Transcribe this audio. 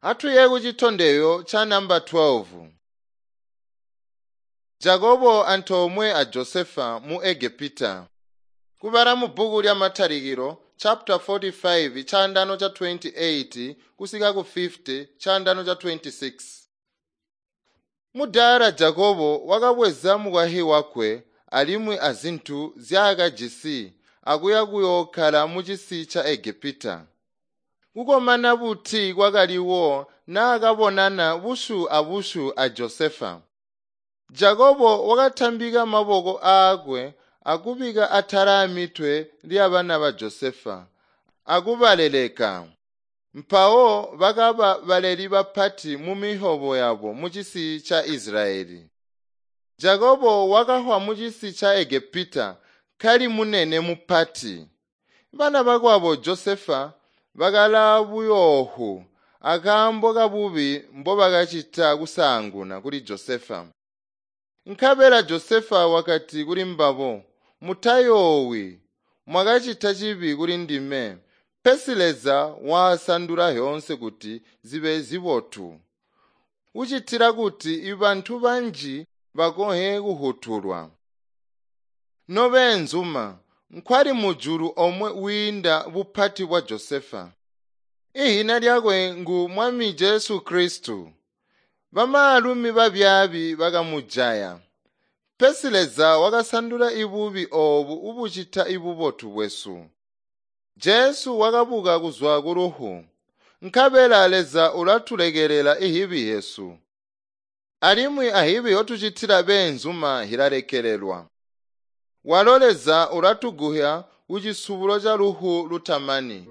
Atuye kucitondezyo ca namba 12. Jakobo antoomwe a Josefa mu Egepita. Kubala mu bbuku lya Matalikilo chapter 45 chandano cha 28 kusika ku 50 chandano cha 26. Mudaala Jakobo wakabweza mukwahi wakwe alimwi azintu zyaakajisi akuya kuyookkala mucisi ca Egepita. Kukomana buti kwakaliwo naakabonana busyu abusyu a Josefa. Jakobo wakatambika maboko aakwe akubika atala amitwe lyabana ba Josefa akubaleleka. Mpawo bakaba baleli bapati mumisyobo yabo mucisi ca Isilayeli. Jakobo wakafwa mucisi ca Egepita kali munene mupati. Bana bakwabo Josefa bakalaa buyoofu akaambo kabubi mbobakacita kusaanguna kuli Josefa. Nkabela Josefa wakati kulimbabo, “Mutayoowi, mwakacita cibi kulindime, pesi Leza waasandula zyoonse kuti zibe zibotu, kucitila kuti bantu banji bakonhe kufutulwa. Nobeenzuma, nkwali mujulu omwe wiinda bupati bwa Josefa. Ihina lyakwe ngu Mwami Jesu Kristu. Bamaalumi babyaabi bakamujaya. Pesi Leza wakasandula ibubi oobu ubucita ibubotu bwesu. Jesu wakabuka kuzwa kulufu, nkabela Leza ulatulekelela ihibi hyesu. Alimwi ahibi hyotucitila beenzuma hilalekelelwa. Walo Leza ulatuguhya kucisubulo ca lufu lutamani.